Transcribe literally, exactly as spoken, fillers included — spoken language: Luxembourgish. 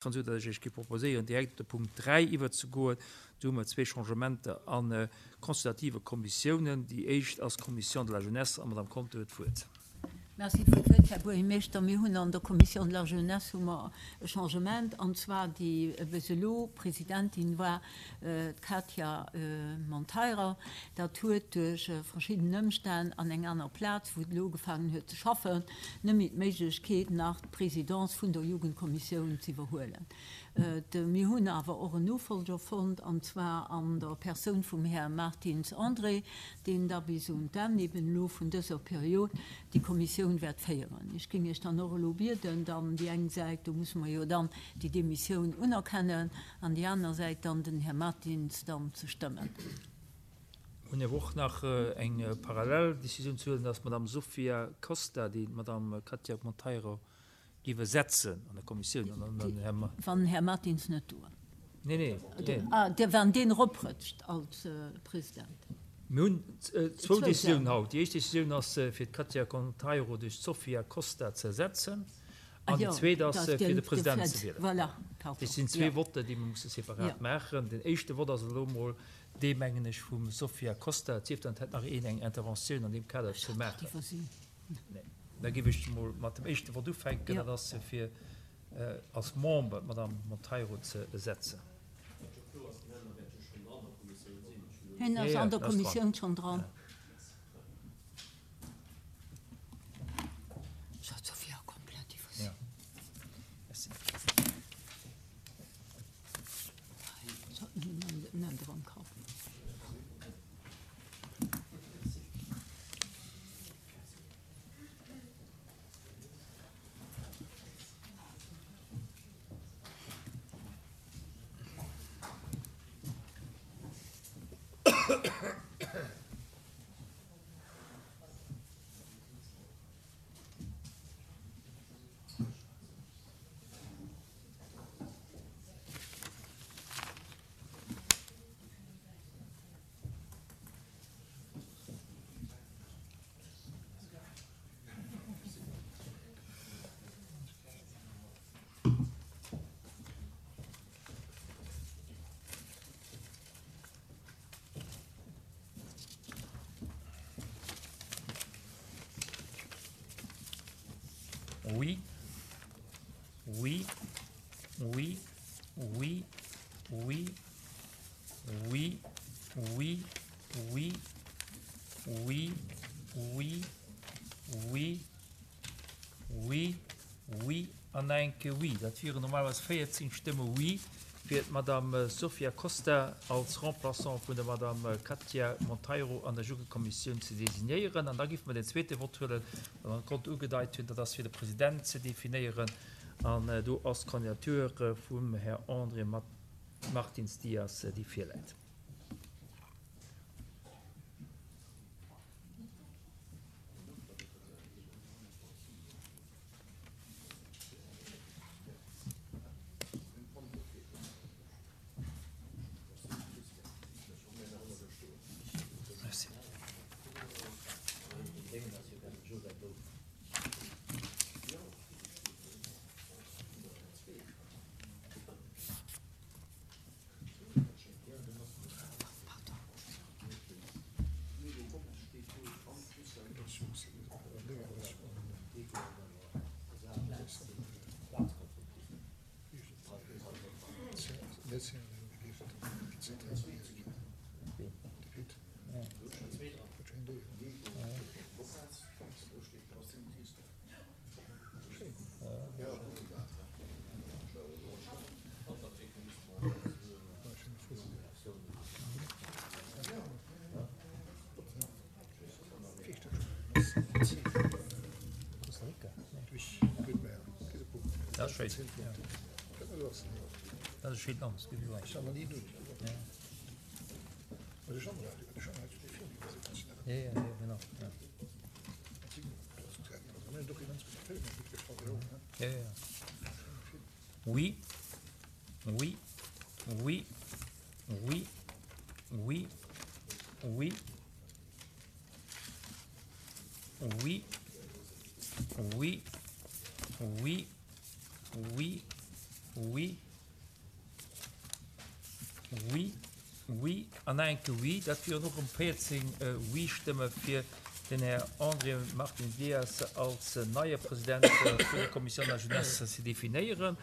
Esou datt ech Iech géif proposéieren, direkt op de Punkt dräi iwwerzegoen. Do hu mer zwee Changementer a consultative Kommissiounen. Déi éischt ass d'Commission de la Jeunesse, an d'Madame Conter huet d'Wuert. Merci fir d'Wuert, Här Buergermeeschter. Mir hunn an der Commission de la Jeunesse hu mer e Changement, an zwar déi bis elo Presidentin war d'Katia Monteiro. Dat huet duerch verschidden Ëmstänn an eng aner Plaz, wou et elo ugefaangen huet ze schaffen, net méi d'Méiglechkeet nach d'Presidence vun der Jugendkommissioun ze iwwerhuelen. Mir hunn awer och en Nofolger fonnt, an zwar an der Persoun vum Här Martins André, deen da bis un d'Enn eben elo vun dëser Period déi Kommissioun wäert féieren. Ech géing Iech dann och elo bieden, dann déi eng Säit, do musse mer jo dann déi Demissioun unerkennen, an déi aner Säit dann den Här Martins dann ze stëmmen. Mir hunn awer och nach eng parallel Décisioun ze huelen, dass d'Madame Sofia Costa, déi d'Madame Katia Monteiro géif ersetzen an der Kommissioun, an dann den Här. Wann den Här Martins net do ass. Nee, nee, nee. Ah, wann deen eroprëtscht als President. Mir hunn zwou Décisiounen haut. Déi éischt Décisioun ass, fir d'Katia Monteiro duerch d'Sofia Costa ze ersetzen. An déi zweet ass, fir de President ze wielen. Dat sinn zwee Votten, déi mer musse separat maachen. Den éischte Vott ass elo emol dee, mengen ech, vum Sofia Costa. Et sief dann, et hätt nach een eng Interventioun an deem Kader ze maachen. Nee. Da géif ech emol mat dem éischte Vott ufänken. Dat ass, fir als Member d'Madame Monteiro ze ersetzen. Hien ass an der Kommissioun schonn dran. Oui, oui, oui, oui, oui, oui, oui, oui, oui, oui, oui, oui, oui an enke Oui. Dat wieren normalerweis véierzéng Stëmme Oui fir d'Madame Sofia Costa als Remplaçant vun der Madame Katia Monteiro an der Jugendkommissioun ze designéieren. An da géife mer den zweete Vott huelen, wat an Grond ugedeit hunn, dat ass fir de President ze definéieren. An do ass d'Candidature vum Här André Martins Dias, déi virläit. Oui, oui, oui, oui, oui, oui, oui, oui, oui, oui, Oui. Oui. Oui. An nach eng Kéier Oui. Dat wieren och erëm véierzéng Oui-Stëmme fir den Här André Martin Dias als neie President vun der Commission de la Jeunesse ze definéieren.